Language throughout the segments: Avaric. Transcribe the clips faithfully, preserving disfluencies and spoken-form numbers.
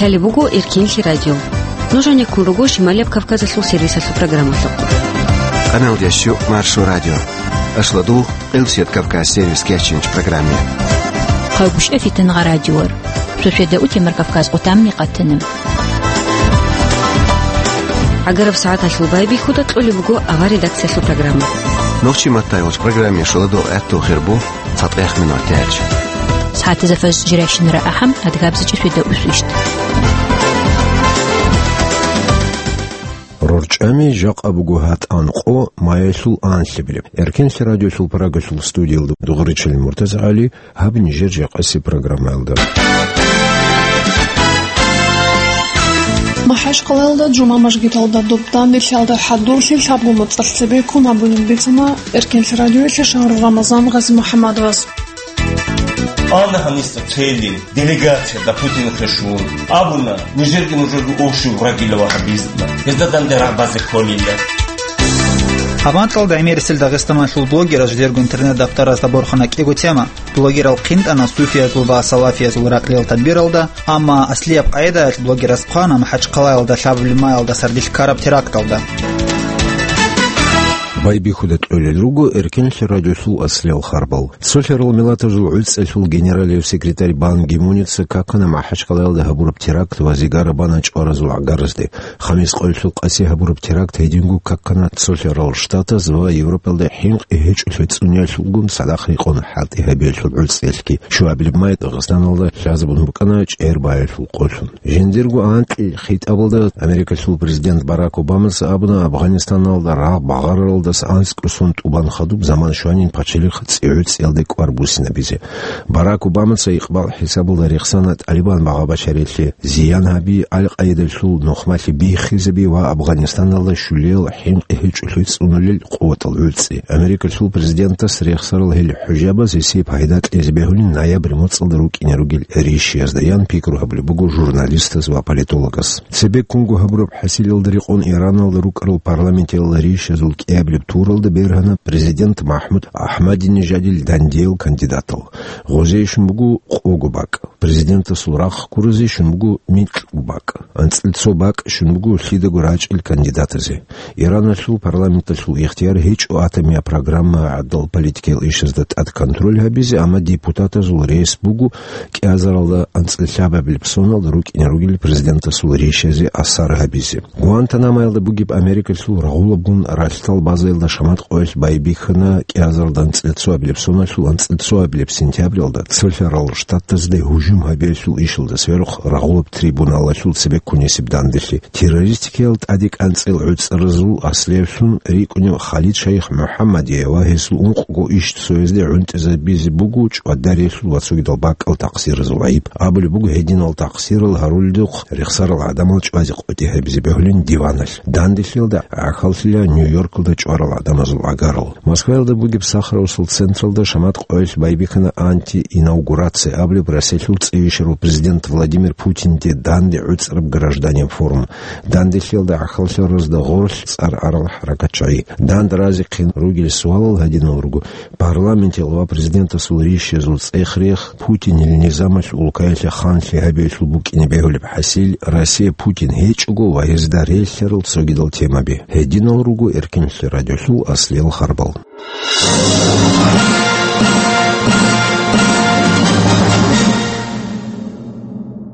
Лъалеб буго Эркенлъи радио. Нуж гьанеккун руго Шималияб Кавказалъул сервисалъул программалъухъ. Къаналдящу Маршо радио. Ашладул Къилсият Кавказ сервис кечинч программе. Хъагушев Фитангъа радиор. Шошеда утемар Кавказ къутамни къатана. ГӀагараб сагӀаталъул байбихьуда кьолеб буго авар редакциялъул программа. Нохчи маттай вач программе шоладо гӀатту хирбу. ЦатӀех минут тяч. СагӀатизафаз жирайщинара ахӀам адгабзичӀи швида усвищт. РорчӀами жакъа буго гьатӀан къо маялъул анлъабилеб. Эркенлъи радиолъул парагалъул студиялда дугъричал МуртазагӀали гьаб нижер жакъаси программаялда. МахӀачкъалаялда жума мажгиталда доб данделъиялда хӀадурлъи лъабго моцӀалъ цебеккун гьабунин бицана Эркенлъи радиоялъе Шагьру Рамазан Гъазимухьаммадовас. Ана гьаниса цели делегация да Путин хешун. Абуна, нижерги нужерги общий врагила вахабизма. Гьезда данде рагъ базе кколила. Гьаб анкьалда гӀемерисел Дагъистаналъул блогераз жидерго интернет-дафтаразда борхана кӀиго тема. Блогерал хъинтӀана суфиязул ва салафиязул ракьлил тадбиралда, амма аслияб къагӀидаялъ блогераз хъвана МахӀачкъалаялда лъабабилеб маялда сардилъ ккараб теракталда. Байбихьуда кьолел руго Эркенлъи радиолъул аслиял харбал. Цолъарал миллатазул гӀуцӀалъул генералияб секретарь Бан Ги-муница какана МахӀачкъалаялда гьабураб теракт ва зигара бана чӀваразул гӀагаразде. Хамис къоялъул къаси гьабураб теракт гьединго какана Цолъарал Штатаз ва Европалда хӀинкъи гьечӀолъи цӀуниялъулгун цадахъ рекъон хӀалтӀи гьабиялъул гӀуцӀиялъги. Щуабилеб май Дагъистаналда лъазабун букӀана чӀер баялъул къолъун. Жиндирго анкьил хитӀабалда Америкалъул президент Барак Обамаца абуна Афганистаналда рагъ багъараралдаса анцӀкӀосон тӀубан хадуб заман щванин пачалихъ цӀигӀуцӀиялде кӀвар буссинабизе. Барак Обамаца икъбал хӀисабалда рехсана ТӀалибан багъа-бачарилъе зиян гьаби, Ал-Къаидалъул нухмалъи биххизаби ва Афганистаналда щулиял хӀинкъи гьечӀолъи цӀунулел къуватал гӀуцӀи. Америкалъул президентас рехсарал гьел хӀужабаз гьесие пайда кьезе бегьулин ноябрь моцӀалда рукӀине ругел ришиязда, ян пикру гьабулеб буго журналистаз ва политологаз. Цебеккунго гьабураб хӀасилалда рекъон Ираналда рукӀарал парламентиял ришазул кӀиабилеб туралда бергьана президент МахӀмуд Ахмадинежадил дандиял кандидатал. Гъозейищун буго къого бакӀ, президентасул рахъ ккуразейищун буго микьго бакӀ, анцӀил цо бакӀ щун буго лъидаго рачӀил кандидатазе. Ираналъул парламенталъул ихтияр гьечӀо атомияб программа гӀадал политикиял ишазда тӀад контроль гьабизе, амма депутатазул рес буго кӀиазаралда анцӀил лъабабилеб соналда рукӀине ругел президентасул ришазе асар гьабизе. Гуантанамоялда бугеб Америкалъул рагъулабгун ралъдал базаялда шамат къоялъ байбихьана кӀиазаралда анцӀил цоабилеб соналъул анцӀил цоабилеб сентябралда Цолъарал Штатазде гьужум гьабиялъул ишалда сверухъ рагъулаб трибуналалъул цебеккунесеб данделъи. Террористикиял тӀаде кӀанцӀил гӀуцӀаразул аслиялъун рикӀкӀунев Халид Шайх МухӀаммадие ва гьесул ункъго иш цоязде гӀунтӀизабизе буго чӀвадарелъул ва цогидал бакӀал такъсиразул гӀайиб. Абулеб буго, гьединал такъсирал гьаруледухъ рехсарал гӀадамал чӀвазе къотӀи гьабизе бегьулин диваналъ. Данделъиялда гӀахьаллъила Нью-Йоркалда чӀварал гӀадамазул гӀагарал. Москваялда бугеб Сахаровсул централда шамат къоялъ байбихьана антиинаугурация абулеб Россиялъул цӀийищарав президент Владимир Путинде данде гӀуцӀараб гражданин форум. Данделъиялда гӀахьаллъаразда гъорлъ цӀар арал хӀаракатчагӀи. Данде разихъин ругел суалал гьадинал руго: парламентил ва президентасул ришазул цӀех-рех, Путинил низамалъ улкаялъе ханлъи гьабиялъул букӀине бегьулеб хӀасил, Россия Путин гьечӀого ва гьезда релълъарал цогидал темаби. Гьединал руго Эркенлъи радиолъул аслиял харбал.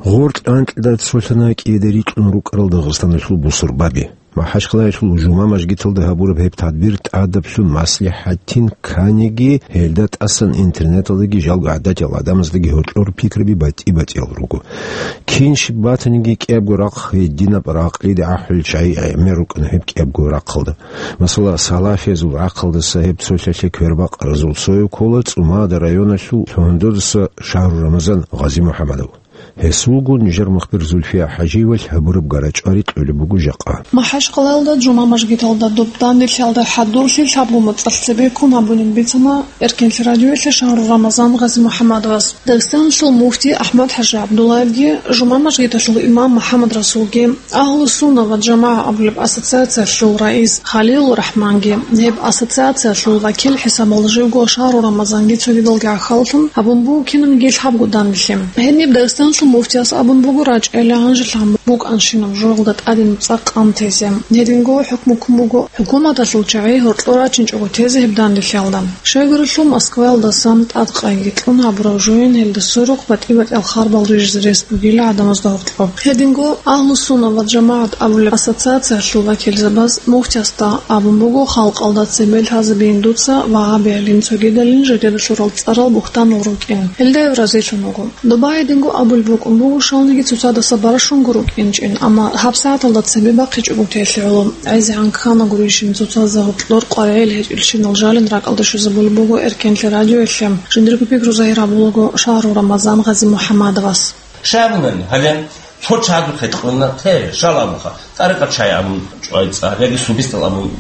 Гъоркь анкьида цолъана кӀиеда рикьун рукӀарал Дагъистаналъул бусурбаби. МахӀачкъалаялъул жума мажгиталда гьабураб гьеб тадбир тӀадаблъун маслихӀатин кканиги, гьелда тӀасан интернеталдаги жалго гӀадатиял гӀадамаздаги гьоркьор пикраби батӀи-батӀиял руго. Кин щиб батаниги, кӀиябго рахъ гьединаб ракълиде гӀахӀулел чагӀи гӀемер рукӀана гьеб кӀиябго рахъалда. Масала, салафиязул рахъалдаса гьеб цолъалъе квербакъаразул цояв ккола ЦӀумада районалъул Лъугьандодаса Шагьру Рамазан Гъазимухьамадов. Гьесулгун нижер мухбир Зульфия ХӀажиевалъ гьабураб гара-чӀвари кьолеб буго жакъа. МахӀачкъалаялда жума мажгиталда доб данделъиялда хӀадурлъи лъабго моцӀалъ цебеккун гьабунин бицана Эркенлъи радиоялъе Шагьру Рамазан Гъазимухьамадовас. Дагъистаналъул муфти АхӀмад-ХӀажи ГӀабдуллаевги, жума мажгиталъул имам МухӀаммад Расулги, Агьлу-Сунна ва ЖамагӀа абулеб ассоциациялъул раис Халилу РахӀманги, гьеб ассоциациялъул вакил хӀисабалда живго Шагьру Рамазанги цогидалги гӀахьаллъун гьабун буго кинабниги лъабго данделъи. Гьениб Дагъистаналъул Муфтияс абун буго, рачӀайилан гьанжелъ гьаб букӀанщинаб жоялда тӀадин цӀакъ къантезе. Гьединго хӀукму ккун буго хӀукуматалъул чагӀи гьоркьор рачинчӀого тезе гьеб данделъиялда. Щайгурелъул Москваялдасан тӀадкъайги кьун гьабураб жоян гьелда сверухъ батӀи-батӀиял харбал рижизе рес бугила гӀадамазда гьоркьоб. Гьединго Агьлу-сунна ва жамагӀат абулеб ассоциациялъул вакилзабаз муфтиясда абун буго, халкъалда цебе лъазабейин дуца вагьабиялин цогидалин жидеда лъурал цӀарал бугьтанал рукӀин. Гьелда гьев разилъун вуго. Доба гьединго абулеб букӀун буго, щалниги цоцадаса баращунго рукӀинчӀин, амма гьабсагӀаталда цебе бахъичӀого телъи гӀоло. ГӀезегӀан ккана гурищин, цоцазда гьоркьор къваригӀел гьечӀелщинал жалин ракӀалде щвезабулеб буго Эркенлъи радиоялъе, жиндирго пикру загьир гьабулаго Шагьру Рамазан Гъази-МухӀаммадовас. Щай абунани, гьале цо чагьазухъе кьуна, те, щал абуха, тӀарикъат чагӀи абун чӀвай цӀар, яги субистал абун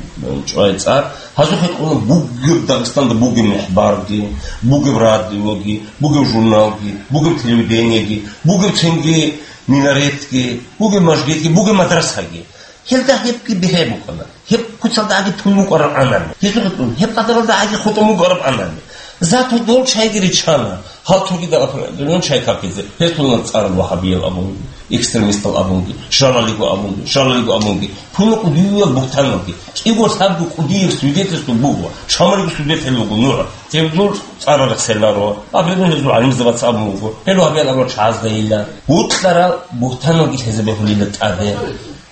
чӀвай цӀар, гьазухъе кьуна бугеб Дагъистанда бугеб мехбарги, бугеб радиоги, бугеб журналги, бугеб телевидениеги, бугеб цинги минаретги, бугеб мажгитги, бугеб мадрасаги. Гьелда гьебги бигьа букӀана. Гьеб куцалда гӀаги тун букӀараб анани. Гьезухъе кьун, гьеб къадаралда гӀаги хутӀун букӀараб анани. Зато дол чайги риччана. Гьал цогидал апрелалда чай какизе. Гьез тунал цӀарал вагьабиял абунги, экстремистал абунги, щалалиго абунги, щалалиго абунги. Тунал кӀудиял бугьтаналги. КӀиго лъабго кӀудияб свидетельство буго. Шамалиго свидетель вуго НугӀ. Гьеб дур цӀарал рехсенаро. Апрелалда гьезул гӀалимзабаца абун буго. Гьел вагьабиял абурал чагӀаздайила. Бокьарал бугьтаналги лъезе бегьулила тӀаде.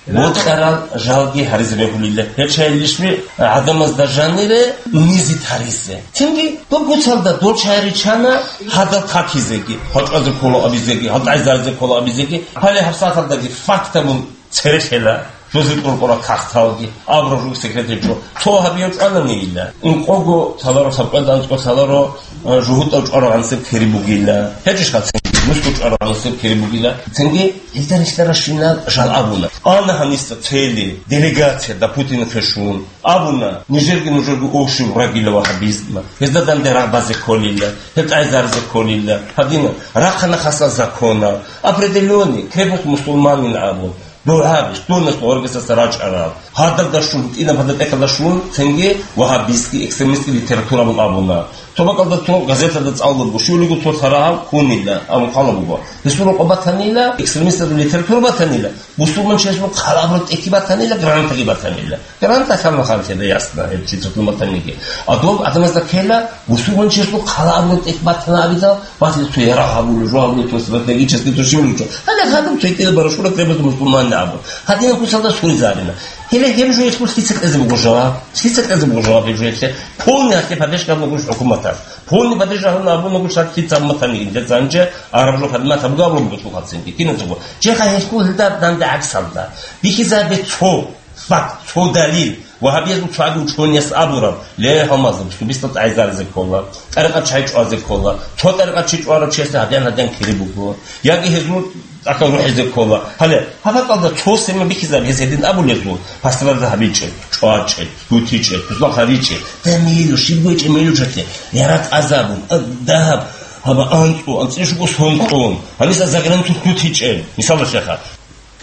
Бокьарал жалги гьаризе бегьулила. Гьел чагӀи лъищ гӀадамазда жанире низи таризе. Цинги доб куцалда дол чагӀи риччана гьадал какизеги, гьал чӀвазе ккола абизеги, гьал тӀайзаризе ккола абизеги. Гьале гьабсагӀаталдаги факт абун церехъела, жузе кьуркъура кагъталги, абураб жуг секретал чӀо. Цо гьабияв чӀвананийила. Инкъого лъаларо, лъабкъоялда анцӀго лъаларо, жугьутӀав чӀварав гьанасеб кири бугила. ГьечӀищха цинги, нусго чӀварав гьанасеб кири бугила. Цинги гьезда релълъаращинал жал абуна. Ана гьаниса цели делегация да Путинахъе щун. Абуна, нижерги нужерго общий врагила вагьабизма. Гьезда данде рагъ базе кколила, гьел тӀайзаризе кколила. Гьадинаб рахъана хасал законал, определённый крепость мусульманин абун. ДугӀаби, стунас гъоргисаса рачӀарал, гьадаб дашун, гьитӀинаб гьадаб тӀехьалда щун, цинги вагьабистский, экстремистский литература абун абуна. Цо бакӀалда цо газеталда цӀалулеб буго, щулиго цо лъарагьав хьунила абун хъван буго. Гьесул рокъоб батанила, экстремистазул литература батанила, бусурманчиясул хъала абураб тӀехьги батанила, гранатаги батанила. Граната лъалаха гьанже, ясно, гьеб чи цо батаниги. А доб гӀадамазда ккела, бусурманчиясул хъала абураб тӀехь батана абидал, батил цо ярагъ гьабулев жо, гьабулев цо стратегический цо щивлучо. Гьале гьадаб цо гьитӀинаб барашура требуется мусульманин абун. Гьадинаб куцалда суризарина. Гьеле гьеб жоялъул лъица кьезе буго жаваб? Лъица кьезе буго жаваб гьеб жоялъе? Полный гьалъе поддержка гьабун буго хӀукуматалъ. Полный поддержка гьабун абун буго шартӀ лъица амматаниги, инде цо гьанже араб жо хадмат гьабуго абун буго цо хъацинги. Киназего. Чеха гьелъул гьелда данде гӀаксалда. Бихьизабе цо факт, цо далил. Вагьабиязул цоги учёнияс абураб, ле, гьалмагъзаб, субистал тӀайзаризе ккола, тӀарикъат чай чӀвазе ккола, цо тӀарикъат чи чӀварав чиясда гьадин-гьадин кири буго, яги гьезул тӀахьал рухӀизе ккола. Гьале, гьаб бакӀалда цо сема бихьизаб гьез гьедин абулезул, пасторалда гьабичӀеб, чӀвачӀеб, лъутичӀеб, туснахъ гьаричӀеб, гьеб мейлу, щиб гьечӀеб мейлу чӀахъе, яракь азабун, а, дагьаб, гьаба анцӀу, анцӀила щуго сон кьун, гьаниса заграничный лъутичӀеб, мисалалъеха.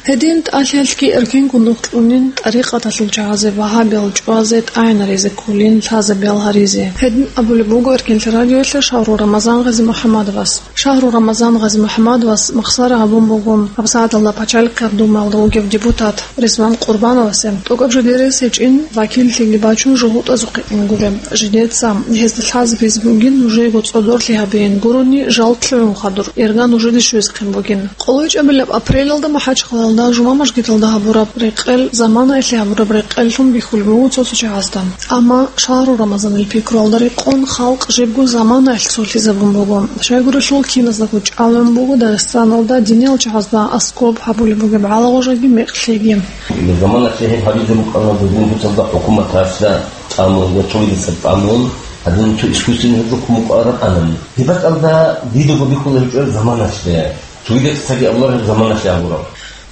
Гьедин тӀалъиялъги эркенго нух кьунин, тӀарикъаталъул чагӀазе вагьабиял чӀвазе, тӀагӀинаризе кколин, лъазабиял гьаризе. Гьедин абулеб буго Эркенлъи радиоялъе Шагьру Рамазан Гъази-МухӀаммадовас. Шагьру Рамазан Гъази-МухӀаммадовас махсара гьабун буго гьабсагӀаталда Пачалихъ ГӀабдумалда вугев депутат Ризван Къурбановасе, тӀокӀаб жидерес гьечӀин, вакиллъиги бачун жугьутӀазухъе ине гуреб. Жидеца гьезда лъазабизе бугин, нужеего цӀодорлъи гьабейин гурони, жал лъугӀун хадур, ирга нужеде щвезехъин бугин. КъолайчӀабилеб апрелалда МахӀачхъалалда жума мажгиталда гьабураб рекъел заманаялъе гьабураб рекъеллъун бихьулеб буго цо-цо чагӀазда. Амма Шагьру Рамазанил пикруялда рекъон халкъ жибго заманаялъ цолъизабун буго. Щайгурелъул киназдаго чӀалгӀун буго Дагъистаналда диниял чагӀазда аскӀоб гьабулеб бугеб гӀалагъужаги мекълъиги. Заманалъе гьеб гьабизе букӀана дозул буцалда хӀукуматалъа тӀамун ва цогидаса тӀамун, гьадин цо искусственный гьеб рухъун букӀараб анани. Гьеб бакӀалда дидаго бихьулеб гьечӀо заманалъе. Цогидасаги абулареб заманалъе абураб.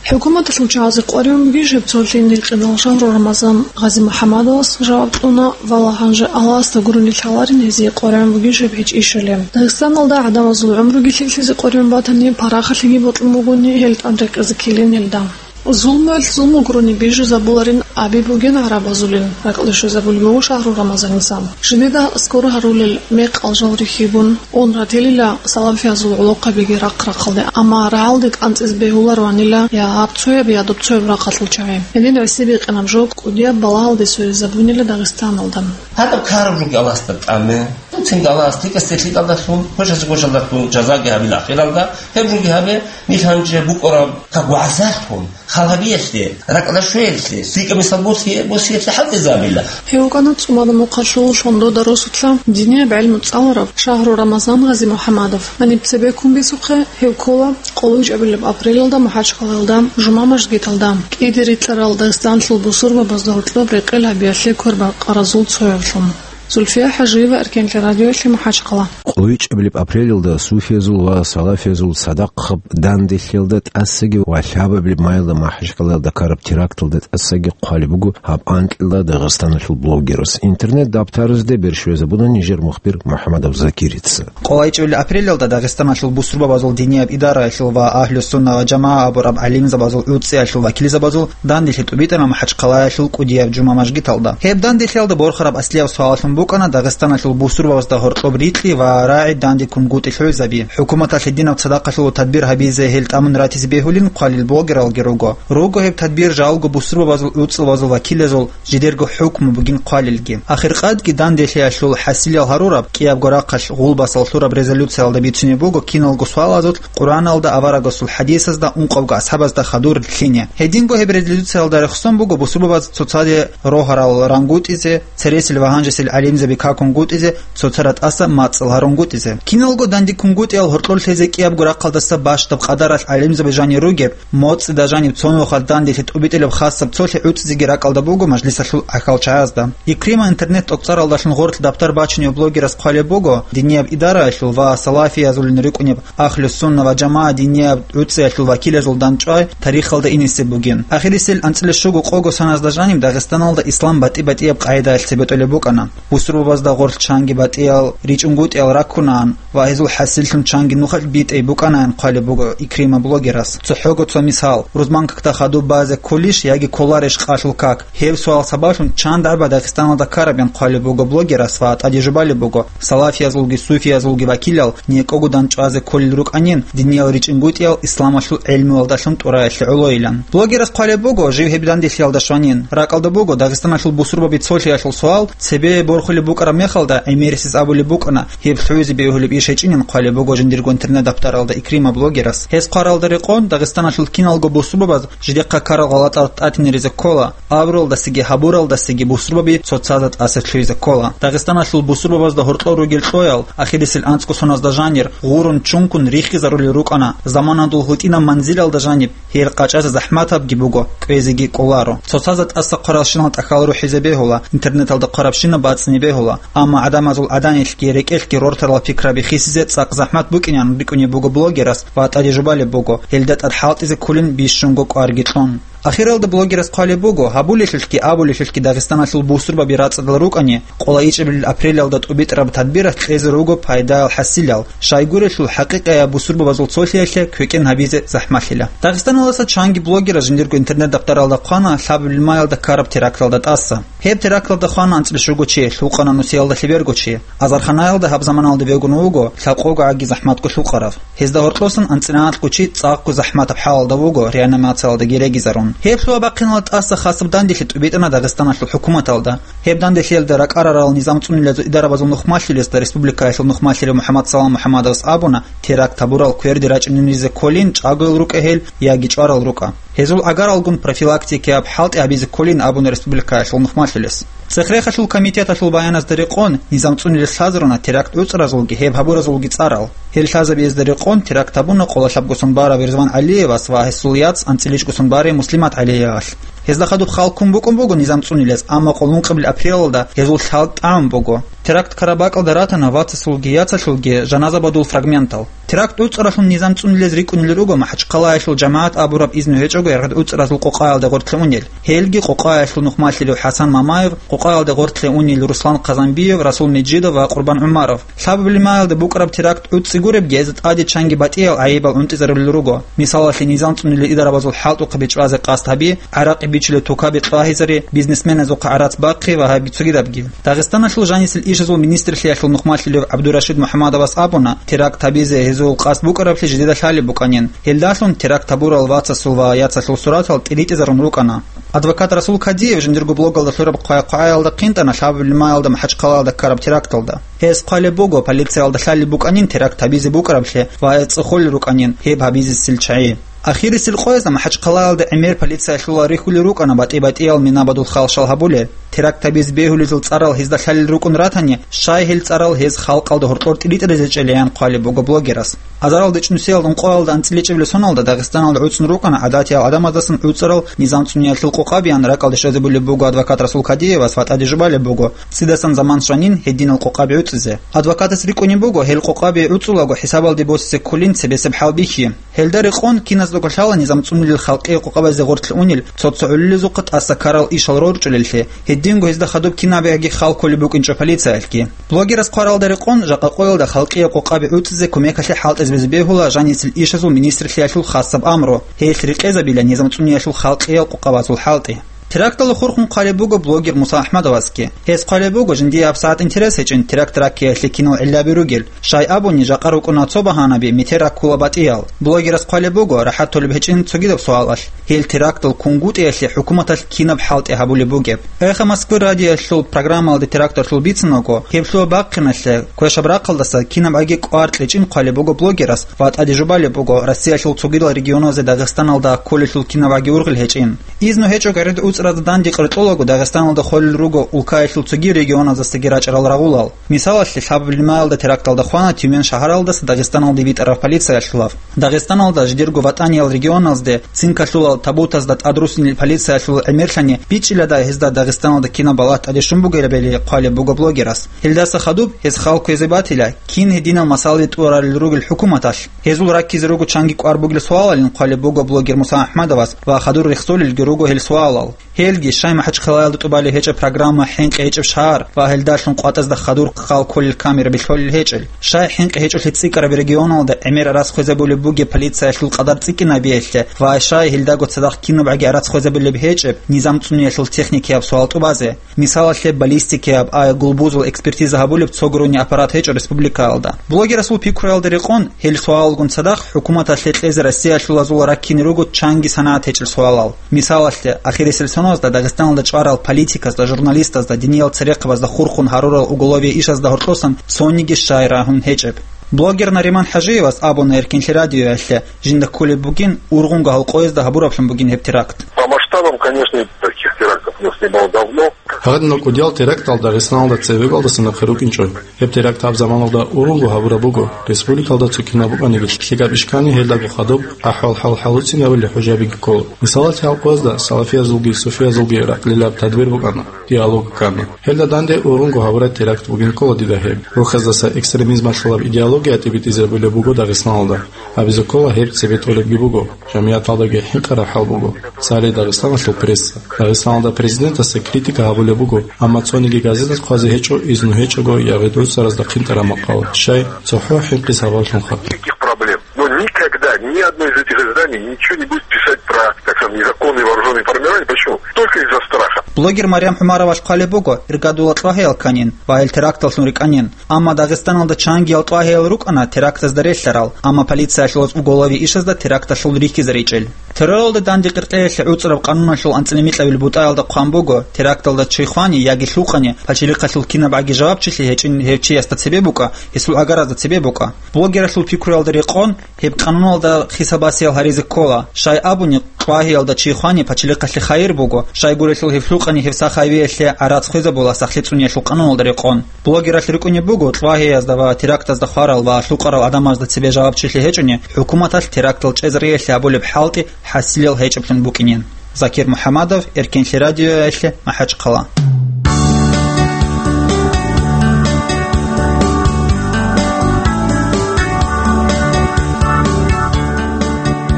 ХӀукуматалъул чагӀазе къваригӀун бугищ гьеб цолъи гьинкъидал? Шагьру Рамазан Гъази-МухӀаммадовас жаваб кьуна, вала гьанже Аллагьасда гурони лъаларин гьезие къваригӀун бугищ гьеб гьечӀищали. Дагъистаналда гӀадамазул гӀумруги лъикӀлъизе къваригӀун батани, парахалъиги бокьун бугони, гьел тӀад рекъезе ккелин гьелда. Зулмуялъ зулму гурони бижизабуларин, Аби бугин гӀарабазулин, ракьалде щвезабулеб буго шагьру Рамазаница. Жидеда аскӀор гьарулел мекъал жал рихьибун, ун ратилила салафиязул гӀолохъабиги рахъ-рахъалде, амма рагӀалде кӀанцӀизе бегьулароанила я гьаб цояб, я доб цояб рахъалъул чагӀи. Гьедин гӀиси бикъинаб жо кӀудияб балагьалде сверизабунила Дагъистаналда. Гьадаб ккараб ругел Аллагьасда тӀаме. Цинги Аллагьас лъикӀасде лъикӀалдалъун, квешасде квешалдалъун жазаги гьабила ахиралда. Гьеб жуги гьабе, нилъ гьанже букӀараб как вагӀзалъун, хал гьабиялъе, ракӀалда щвеялъе, лъикӀаб мисал босие-, босиялъе хӀалтӀизабила. Гьев вукӀана ЦӀумада Мухъалъул Лъондода росулъа динияб гӀелму цӀаларав шагьру Рамазан Гъази МухӀамадов. Гьаниб цебеккун бисухъе, гьев ккола къоло вичӀабилеб апрелалда МахӀачхъалаялда жума мажгиталда кӀиде рикьарал Дагъистанлъул бусурбабазда гьоркьоб рекъел гьабиялъе квербакъаразул цоявлъун. Зульфия ХӀажиева, Эркенлъи радиоялъе, МахӀачхъала. КъойчӀабилеб апрелалда суфиязул ва салафиязул цадахъаб данделъиялда тӀасаги ва лъабабилеб майилда МахӀачхъалаялда ккараб теракталда тӀасаги хъвалеб буго гьаб анкьила Дагъистаналъул блогерас. Интернет-дабтарзде берщвезабуна нижер мухбир МухӀамадов Закирица. КъолайчӀул апрелалда Дагъистаналъул бусурбабазул динияб идараялъул ва Агьлу-сунна ва жамагӀа абураб гӀалимзабазул гӀуцӀиялъул вакилзабазул данделъи тӀубитӀана МахӀачхъалаялъул кӀудияб жума мажгиталда. Гьеб данделъиялда борхараб аслияб суалалъун букӀана Дагъистаналъул бусурбабазда гьоркьоб рикьи ва рагӀи дандеккунгутӀи лъугӀизаби, хӀукуматалъе динаб цадахъалъул тадбир гьабизе гьел тӀамун ратизе бегьулин хъвалел блогералги руго. Руго гьеб тадбир жалго бусурбабазул гӀуцӀилбазул вакилазул жидерго хӀукму бугин хъвалелги. Ахиркъадги данделъиялъул хӀасилал гьарураб кӀиябго рахъалъ гъулбасал лъураб резолюциялда бицунеб буго киналго суалазул, Къуръаналда, аварагасул хӀадисазда, ункъавго асхӀабазда хадур лъине. Гьединго гьеб резолюциялда рехсон буго бусурбабаз цоцаде рогьарал рангутӀизе, цересел ва гьанжесел гӀалимзаби какунгутӀизе, цоцара тӀаса мацӀал гьарунгутӀизе. Киналго дандеккунгутӀиял гьоркьор лъезе кӀиябго рахъалдаса бащдаб къадаралъ гӀалимзаби жанир ругеб, моцӀида жаниб цо нухалъ данделъи тӀубитӀилеб хасаб цолъи гӀуцӀизеги ракӀалда буго мажлисалъул гӀахьалчагӀазда. Икрима интернет-тӀокӀцӀаралдалъун гъорлъ дабтар бачунев блогерас хъвалеб буго, динияб идараялъул ва салафиязулин рикӀкӀунеб Агьлу-сунна ва жамагӀа динияб гӀуцӀиялъул вакилазул дандчӀвай тарихалда инисеб бугин. Ахирисел анцӀила щуго къого соназда жаниб Дагъистаналда ислам батӀи-батӀияб къагӀидаялъ цебетӀолеб букӀана. Бусурбабазда гъорлъ чанги батӀиял ричӀунгутӀиял раккунаан ва гьезул хӀасиллъун чанги нухалъ битӀей букӀанаан хъвалеб буго Икрима блогерас. ЦохӀого цо мисал: рузман какда хадуб базе кколищ яги кколарищ къалъул как? Гьеб суал сабаблъун чан дагӀба Дагъистаналда ккарабин хъвалеб буго блогерас ва тӀаде жубалеб буго, салафиязулги суфиязулги вакилал некӀого дандчӀвазе кколел рукӀанин диниял ричӀунгутӀиял исламалъул гӀелмуялдалъун тӀураялъе гӀолойилан. Блогерас хъвалеб буго, жив гьеб данделъиялда щванин. РакӀалда буго, Дагъистаналъул бусурбаби цолъиялъул суал цебе борхулеб букӀараб мехалда, гӀемерисез абулеб букӀана, гьеб лъугӀизе бегьулеб иш гьечӀинин хъвалеб буго жиндирго интернет-дабтаралда Икрима блогерас. Гьес хъваралда рекъон, Дагъистаналъул киналго бусурбабаз жидехъа ккарал гъалатӀал тӀатинаризе ккола, абуралдасаги гьабуралдасаги бусурбаби цоцазда тӀаса лъугӀизе ккола. Дагъистаналъул бусурбабазда гьоркьор ругел кьоял ахирисел анцӀго соназда жанир гъурун чункун рихизарулел рукӀана, заманадул гьутӀинаб манзилалда жаниб гьел къачӀазе захӀматабги буго, кӀвезеги кӀоларо. Цоцазда тӀаса хъваралщинал тӀахьал рухӀизе бегьула, интернеталда хъварабщинаб бацӀцӀине бегьула, амма гӀадамазул гӀаданилъги рекӀелъги рортарал пикраби хисизе цӀакъ захӀмат букӀинан рикӀкӀунеб буго блогерас ва тӀаде жубалеб буго, гьелда тӀад хӀалтӀизе кколин бищунго кӀварги кьун. Ахиралда блогерас хъвалеб буго, гьабулелъулъги абулелъулъги Дагъистаналъул бусурбаби рацӀцӀадал рукӀани, къолайчӀебилел апрелалда тӀубитӀараб тадбиралъ кьезе руго пайдаял хӀасилал, щайгурелъул хӀакъикъияб бусурбабазул цолъиялъе квекӀен гьабизе захӀмалъила. Дагъистаналдаса чанги блогерас жиндирго интернет-дабтаралда хъвана лъабабилеб маялда ккараб теракталда тӀаса. Гьеб теракталда хвана анцӀила щуго чи, лъукъана нусиялда лъеберго чи. Азарханаялда гьаб заманалда вегун вуго лъабкъого гӀаги захӀматго лъукъарав. Гьезда гьоркьосан анцӀила налъго чи цӀакъго захӀматаб хӀалалда вуго, реанимациялдаги регизарун. Гьеб лъугьа-бахъиналда тӀаса хасаб данделъи тӀубитӀана Дагъистаналъул хӀукуматалда. Гьеб данделъиялда ракӀарарал низам цӀунилазул идарабазул нухмалъулесда республикаялъул нухмалъулев МухӀаммад Салам МухӀаммадовас абуна, теракт гьабурал кверде рачӀунелизе кколин чӀаголел рукӀа гьел яги чӀварал рукӀа. Гьезул гӀагаралгун профилактикияб хӀалтӀи гьабизе кколин абуна республикаялъул нухмалъулес. Цех-рехалъул комитеталъул баяназда рекъон, низам цӀунилес лъазаруна теракт гӀуцӀразулги гьеб гьабуразулги цӀарал. Гьел лъазабиязда рекъон теракт гьабуна къоло лъабго сон барав Ризван ГӀалиевас ва гьесул яц анцӀила чӀуго сон барай Муслимат ГӀалиевалъ. Гьезда хадуб хал ккун букӀун буго низам цӀунилез, амма къоло ункъабилеб апрелалда гьезул лъал тӀамун буго. Теракт ккараб бакӀалда ратана вацасулги яцалъулги жаназа бадул фрагментал. Теракт гӀуцӀаралъун низам цӀунилез рикӀкӀунел руго МахӀачхъалаялъул жамагӀат абураб изну гьечӀого яргъад гӀуцӀразул къокъаялда гъортлъе унел. Гьелги къокъаялъул нухмалъулев ХӀасан Мамаев, къокъаялда гъортлъе унел Руслан Хъазанбиев, Расул Межидов ва Къурбан ГӀумаров. Лъабабилеб маялда букӀараб теракт гӀуцӀи гуребги, гьезда тӀаде чанги батӀиял гӀайибал гӀунтӀизарулел руго. Мисалалъе, низам цӀунилел идарабазул хӀалтӀухъаби чӀвазе къасд гьаби, гӀаракъи бичулеб тукаби тӀагьизари, бизнесменазухъа гӀарац бахъи ва гьаб цогидабги. Дагъистаналъул жанисел ишазул министрлъиялъул нухмалъулев ГӀабдурашид МухӀамадовас абуна, теракт гьабизе гьезул къасд букӀараблъи жидеда лъалеб букӀанин. Гьелдалъун теракт гьабурал вацасул ва яцалъул суратал тӀиритӀизарун рукӀана. Адвокат Расул Кадиев жиндирго блогалда лъураб хъвай-хъвагӀаялда хъинтӀана лъабабилеб маялда МахӀачхъалаялда ккараб теракталда. Гьес хъвалеб буго, полициялда лъалеб букӀанин теракт гьабизе букӀараблъи ва гьез цӀехолел рукӀанин гьеб гьабизесел чагӀи. Ахирисел къоязда МахӀачхъалаялда гӀемер полициялъула рихьулел рукӀана батӀи-батӀиял минабадул халшал гьабулел. Теракт гьабизе бегьулезул цӀарал гьезда лъалел рукӀун ратани, щай гьел цӀарал гьез халкъалда гьоркьор тӀиритӀизаричӀел ян хъвалеб буго блогерас. Азарал дечӀнусиялда ункъоялда анцӀила чӀебилеб соналда Дагъистаналда гӀуцӀун рукӀана гӀадатиял гӀадамаздасан гӀуцӀарал низам цӀунеялъул къокъабиян ракӀалде щвезабулеб буго адвокат Расул Кадиевас ва тӀадежубалеб буго, цидасан заман щванин гьединал къокъаби гӀуцӀизе. Адвокатас рикӀкӀунеб буго, гьел къокъаби гӀуцӀулаго хӀисабалде босизе кколин цебесеб хӀал бихьи. Гьелда рекъон киназдаго лъала низам цӀунулел халкъие къокъабазе гъорлъ унел цо-цо гӀолилезухъа тӀаса ккарал ишал рорчӀулеллъи, гьединго гьезда хадуб кинабиги хал кколеб букӀинчӀо полициялъги. Блогерас хъваралда рекъон жакъа къоялда халкъие къокъаби гӀуцӀизе кумекалъе хӀалтӀизабизе бегьула жанисел ишазул министрлъиялъул хасаб амру, гьелъ рекъезабила низам цӀуниялъул халкъиял къокъабазул хӀалтӀи. Теракталда хурхун хъвалеб буго блогер Муса АхӀмадовасги. Гьес хъвалеб буго, жиндие гьабсагӀат интерес гьечӀин теракт раккиялъе кинал гӀиллаби ругел. Щай абуни, жакъа рукӀуна цо багьанаби, метер раккула батӀиял. Блогерас хъвалеб буго, рахӀат толеб гьечӀин цогидаб суалалъ. Гьел терактал кунгутӀиялъе хӀукуматалъ кинаб хӀалтӀи гьабулеб бугеб. Эхо Москвы радиоялъул программалда теракталъул бицинаго, гьеб лъугьа-бахъиналъе квешаб рахъалдаса кинабгӀаги кӀвар кьечӀин хъвалеб буго блогерас ва тӀадежубалеб буго, Россиялъул цогидал регионазде Дагъистаналда кколелъул кинабгӀаги ургъел гьечӀин. Изну гьечӀого гӀеред уцӀразда данде къеркьолаго Дагъистаналда холел руго улкаялъул цоги регионаздасаги рачӀарал рагъулал. Мисалалъе, лъабабилеб маялда теракталда хвана Тюмень шагьаралдаса Дагъистаналде битӀараб полициялъулав. Дагъистаналда жидерго ватӀаниял регионазде цинкалъулал табутазда тӀадруссинил полициялъул гӀемерлъани бичӀчӀилада гьезда Дагъистаналда кинаб балагь тӀаде щун бугебали хъвалеб буго блогерас. Гьелдаса хадуб гьез хал кквезе батила, кин гьединал масалаби тӀурарел ругел хӀукуматалъ. Гьезул раккизе руго чанги кӀвар бугел суалалин хъвалеб буго блогер Муса АхӀмадовас ва хадур рехсолелги руго гьел суалал. Гьелги, щай МахӀачхъалаялда тӀубалеб гьечӀеб программа ХӀинкъи гьечӀеб шагьар ва гьелдалъун къватӀазда хадур хал кколел камера билълъолел гьечӀел, щай хӀинкъи гьечӀолъи цӀикӀкӀараб регионалда гӀемер гӀарац хвезабулеб бугеб полициялъул къадар цӀикӀкӀинабиялъе ва щай гьелдаго цадахъ кинабгӀаги гӀарац хвезабулеб гьечӀеб низам цӀуниялъул техникияб суал тӀубазе. Мисалалъе, баллистикияб, а, гулбузул экспертиза гьабулеб цо гурони аппарат гьечӀо республикаялда. Блогерасул пикруялда рекъон, гьел суалалгун цадахъ хӀукуматалъе кьезе Россиялъулазул раккине руго чанги санагӀат гьечӀел суалал. Мисалалъе, ахирисел соназда Дагъистаналда чӀварал политиказда, журналистазда, диниял церехъабазда хурхун гьарурал уголовие ишазда гьоркьосан цониги щай рагьун гьечӀеб. Блогер Нариман ХӀажиевас абуна Эркинлъи радиоялъе, жинда кколеб бугин, ургъунго гьал къоязда гьабураблъун бугин гьеб теракт. По масштабам, конечно, таких терактов у нас не было давно. Гьадинал кӀудиял терактал Дагъистаналда цебекалдаса нахъе рукӀинчӀо. Гьеб теракт гьаб заманалда ургъунго гьабураб буго. Республикалда цо кинаб букӀаниги, лъикӀаб иш ккани, гьелдаго хадуб ахӀвал-хӀал хӀалуцӀинабулел хӀужабиги ккола. Мисалалъе, гьал къоязда салафиязулги суфиязулги ракьлилаб тадбир букӀана, диалог ккана. Гьелда данде ургъунго гьабураб теракт бугин ккола дида гьеб. Рухьаздаса экстремизмалъулаб идеология тӀибитӀизабулеб буго Дагъистаналда. Абизе ккола, гьеб цебетӀолебги буго. Жамигъаталдаги хӀинкъараб хӀал буго. Цалей Дагъистаналъул пресса. Дагъистаналда президентасда критика гьабулеб буго, амма цониги газеталъ хъвазе гьечӀо, изну гьечӀого я гъедуцаразда хъинтӀараб макъал, щай, цохӀо хӀинкъи сабаблъунха. Никаких проблем. Но никогда ни одно из этих изданий ничего не будет писать про, так скажем, незаконные вооружённые формирования. Почему? Только из-за страха. Блогер Марьям ХӀумаровас хъвалеб буго, иргадула тӀлагьеял кканин ва гьел теракталлъун рикӀкӀанин. Амма Дагъистаналда чангиял тӀлагьеял рукӀана терактазда релълъарал, амма полициялъулаз уголовый ишазда теракталъул рихьизаричӀел. Терроралда данде къеркьеялъе гӀуцӀараб къануналъул анцӀила микьабил бутӀаялда хъван буго, теракталда чи хвани яги лъукъани, пачалихъалъул кинабгӀаги жавабчилъи гьечӀин гьев чиясда цебе букӀа, гьесул гӀагаразда цебе букӀа. Блогералъул пикруялда рекъон, гьеб къануналда хисабасиял гьаризе ккола. Щай абуни, тӀлагьеялда чи хвани пачалихъалъе хайир буго, щайгурелъул гьев лъукъани гьев сахавиялъе гӀарац хвезабула сахлъи цӀуниялъул къануналда рекъон. Блогералъ рикӀкӀунеб буго, тӀлагьеязда ва терактазда хварал ва лъукъарал гӀадамазда цебе жавабчилъи гьечӀони, хӀукуматалъ терактал чӀезариялъе гьабулеб хӀалтӀи хӀасилел гьечӀеблъун букӀинин. Закир МухӀамадов, Эркинлъи радиоялъе, МахӀачхъала.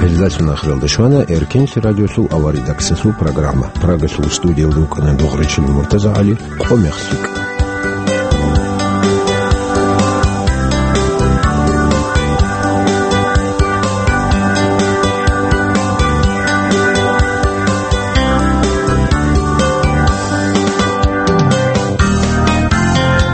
Гьелдалъун ахиралда щвана Эркинлъи радиолъул аваридаксалъул программа. Прагалъул студиялда вукӀана Дугъричил МуртазагӀали, къо мехлъи.